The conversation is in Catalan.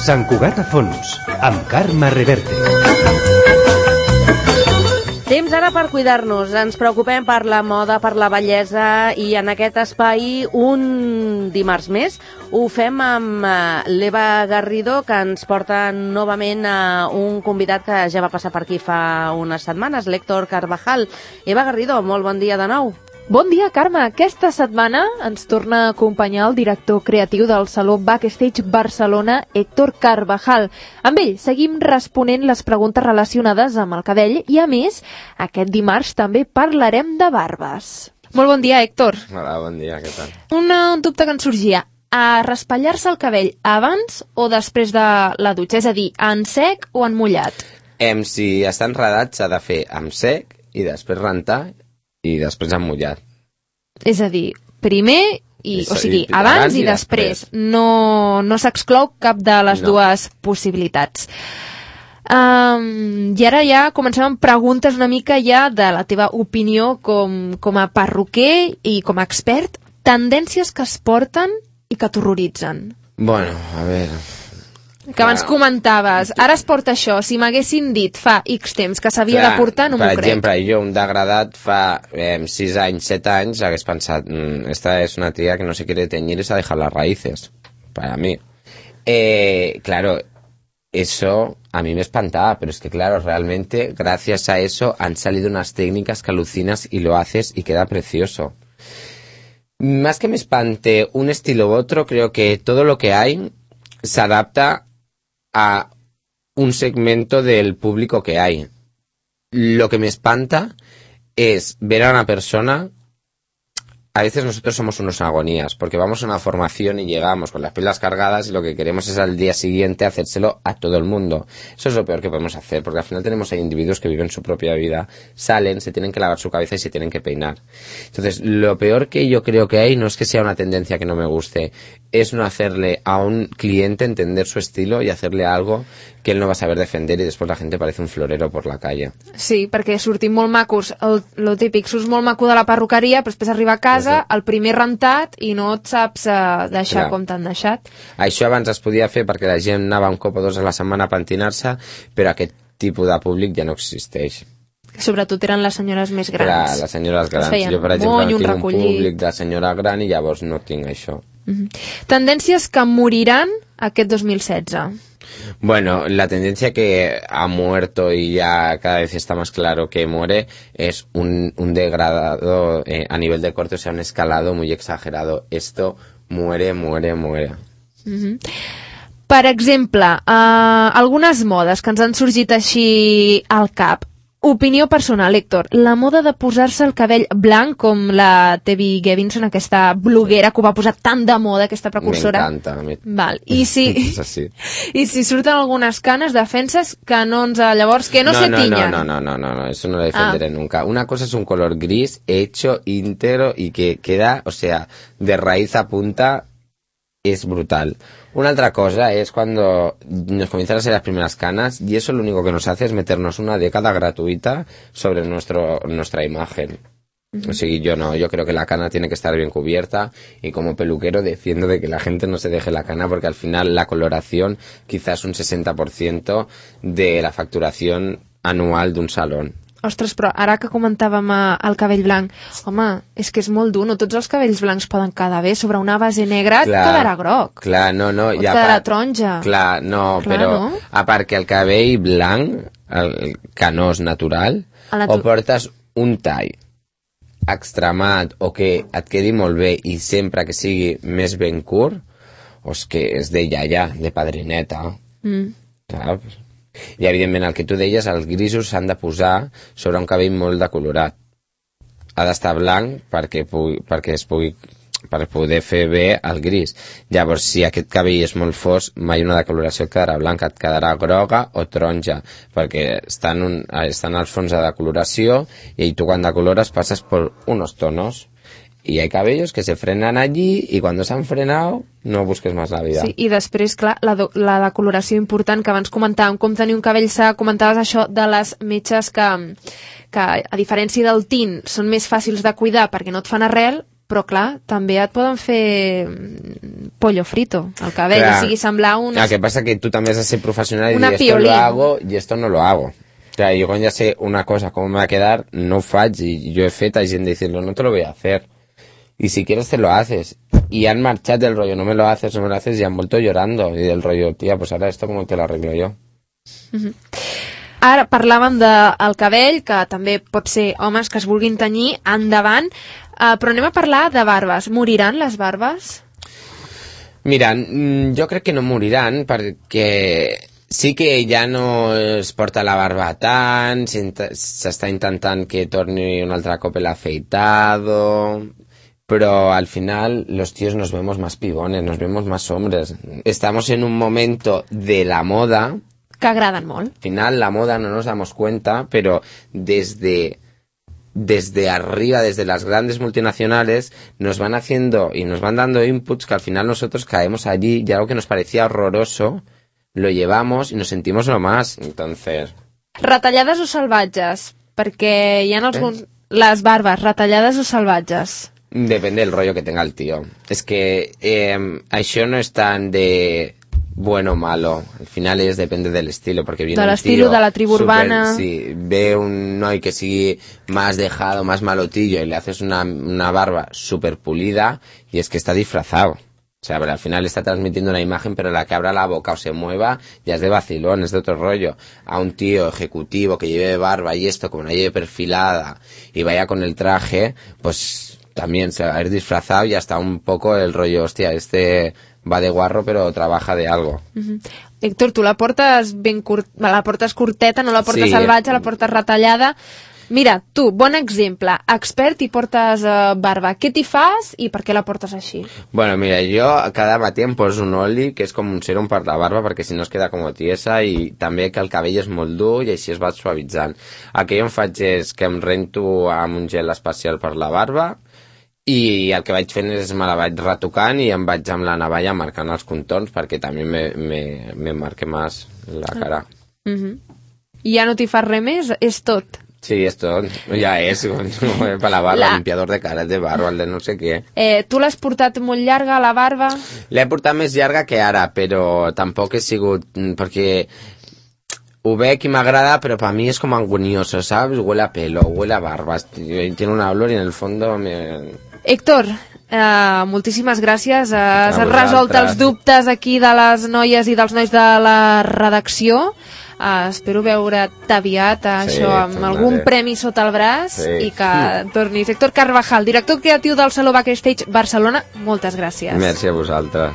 Sant Cugat a fons, amb Carme Reverte. Temps ara per cuidar-nos. Ens preocupem per la moda, per la bellesa, i en aquest espai, un dimarts més, ho fem amb l'Eva Garrido, que ens porta novament a un convidat que ja va passar per aquí fa unes setmanes, l'Héctor Carvajal. Eva Garrido, molt bon dia de nou. Bon dia, Carme. Aquesta setmana ens torna a acompanyar el director creatiu del Saló Backstage Barcelona, Héctor Carvajal. Amb ell seguim responent les preguntes relacionades amb el cabell i, a més, aquest dimarts també parlarem de barbes. Molt bon dia, Héctor. Hola, bon dia, què tal? Un dubte que ens sorgia. A raspallar-se el cabell abans o després de la dutxa? És a dir, en sec o en mullat? Si està enredat s'ha de fer amb sec i després rentar i després amb mullat. És a dir, primer, abans i després. No s'exclou cap de les dues possibilitats. I ara ja comencem amb preguntes una mica ja de la teva opinió com a perruquer i com a expert. Tendències que es porten i que t'horroritzen. Bueno, a veure... Que abans comentaves, ara es porta això, si m'haguessin dit fa X temps que s'havia de portar, no m'ho crec. Per exemple, jo, un degradat fa 6 anys, 7 anys, hagués pensat, esta es una tía que no se quiere teñir y se ha dejado las raíces, para mí. Claro, eso a mí me espantaba, pero es que claro, realmente, gracias a eso, han salido unas técnicas que alucinas y lo haces y queda precioso. Más que me espante un estilo u otro, creo que todo lo que hay se adapta a un segmento del público que hay. Lo que me espanta es ver a una persona... A veces nosotros somos unos agonías, porque vamos a una formación y llegamos con las pilas cargadas y lo que queremos es al día siguiente hacérselo a todo el mundo. Eso es lo peor que podemos hacer, porque al final tenemos ahí individuos que viven su propia vida, salen, se tienen que lavar su cabeza y se tienen que peinar. Entonces, lo peor que yo creo que hay no es que sea una tendencia que no me guste, es no hacerle a un cliente entender su estilo y hacerle algo que él no va a saber defender y después la gente parece un florero por la calle. Sí, perquè sortim molt macos, lo típic, surts molt maco de la perruqueria, però després arriba a casa, el primer rentat, i no et saps deixar com t'han deixat. Això abans es podia fer perquè la gent anava un cop o dos a la setmana a pentinar-se, però aquest tipus de públic ja no existeix. Sobretot eren les senyores més grans. Clar, les senyores grans. Jo, per exemple, tinc un públic de senyora gran i llavors no tinc això. Tendències que moriran aquest 2016. Bueno, la tendencia que ha muerto y ya cada vez está más claro que muere es un degradado a nivel de corte, o sea, un escalado muy exagerado. Esto muere. Per exemple, algunes modes que ens han sorgit així al cap. Opinió personal, Héctor, la moda de posar-se el cabell blanc com la Tevi Gevinson, aquesta bloguera que ho va posar tan de moda, aquesta precursora. M'encanta. Val. I si surten algunes canes, defenses que no ens... Llavors, que no se tiñan. No, eso no lo defenderé nunca. Una cosa es un color gris, hecho, íntegro y que queda, o sea, de raíz a punta, es brutal. Una otra cosa es cuando nos comienzan a salir las primeras canas y eso lo único que nos hace es meternos una década gratuita sobre nuestra imagen. O sea, yo creo que la cana tiene que estar bien cubierta y como peluquero defiendo de que la gente no se deje la cana porque al final la coloración quizás un 60% de la facturación anual de un salón. Ostres, però ara que comentàvem el cabell blanc, home, és que és molt dur, no tots els cabells blancs poden quedar bé, sobre una base negra et quedarà groc. Clar, no. O et quedarà taronja. Clar, no, però a part que el cabell blanc, el canós natural, o portes un tall extremat o que et quedi molt bé i sempre que sigui més ben curt, o és que és de iaia, de padrineta. Saps? I evidentment el que tu deies, els grisos s'han de posar sobre un cabell molt decolorat. Ha d'estar blanc perquè per poder fer bé el gris. Llavors, si aquest cabell és molt fosc, mai una decoloració et quedarà blanca, et quedarà groga o taronja, perquè estan al fons de decoloració i tu quan decolores passes per unos tonos. Y hay cabellos que se frenan allí y cuando se han frenado no busques más la vida. Sí, i després, clar, la decoloració important que abans comentàvem, com tenir un cabell sa, comentaves això de les metges que a diferència del tint són més fàcils de cuidar perquè no et fan arrel, però clar, també et poden pollo frito, el cabell, Clar. o sigui, semblar una... El que pasa que tú también has de ser profesional y Una dir, esto lo piolín. hago y esto no lo hago. Claro, yo cuando ya sé una cosa, cómo me va a quedar, no faig, y yo he fet a gent diciendo, no te lo voy a hacer. Y si quieres te lo haces. Y han marchado del rollo, no me lo haces, y han vuelto llorando. Y del rollo, tía, pues ahora esto como te lo arreglo yo. Ara parlàvem del cabell, que també pot ser homes que es vulguin tenyir, endavant, però anem a parlar de barbes. Moriran les barbes? Mira, jo crec que no moriran perquè sí que ja no es porta la barba tant, s'està intentant que torni un altre cop el afeitado, pero al final los tíos nos vemos más pibones, nos vemos más hombres. Estamos en un momento de la moda, Que agraden molt. al final la moda no nos damos cuenta, pero desde arriba, desde las grandes multinacionales, nos van haciendo y nos van dando inputs que al final nosotros caemos allí y algo que nos parecía horroroso lo llevamos y nos sentimos lo más. Entonces, Retallades o salvatges? Perquè hi ha alguns... Les barbes, retallades o salvatges? depende del rollo que tenga el tío. Es que això no es tan de bueno o malo. Al final depende del estilo, porque viene De un l'estilo, tío de la tribu urbana. Sí, ve un noi que sigue más dejado, más malotillo y le haces una barba súper pulida y es que está disfrazado. O sea, pero al final está transmitiendo una imagen, pero la que abra la boca o se mueva ya es de vacilón, es de otro rollo. A un tío ejecutivo que lleve barba y esto, como la lleve perfilada y vaya con el traje, pues también se va a ir disfrazado y hasta un poco el rollo, hostia, este va de guarro pero trabaja de algo. Héctor, tu la portes la portes curteta, no la portes Sí. salvatge, la portes retallada. Mira, tu, bon exemple, expert i portes barba. Què t'hi fas i per què la portes així? Bueno, mira, yo cada matí em poso un oli, que és com un serum per la barba, perquè si no es queda com tiesa, i també que el cabell és molt dur i així es va suavitzant. El que jo em faig és que em rento amb un gel especial per la barba i el que vaig fent és me la vaig retocant i em vaig amb la navalla marcant els contorns perquè també me marque més la cara. I ja no t'hi fas res més? És tot? Sí, esto ya es para la barba, limpiador de cara, el de barba, el de no sé què. Tu l'has portat molt llarga, la barba? L'he portat més llarga que ara, però tampoc he sigut... perquè ho veig i m'agrada, però per mi és com angonioso, ¿sabes? Huele a pelo, huele a barba, tiene una olor y en el fondo Héctor, moltíssimes gràcies. Has vosaltres. resolt els dubtes aquí de les noies i dels nois de la redacció. Espero veure't aviat això amb tornaré. algun premi sota el braç Sí. i que tornis. Héctor Carvajal, director creatiu del Saló Backstage Barcelona, moltes gràcies. Merci a vosaltres.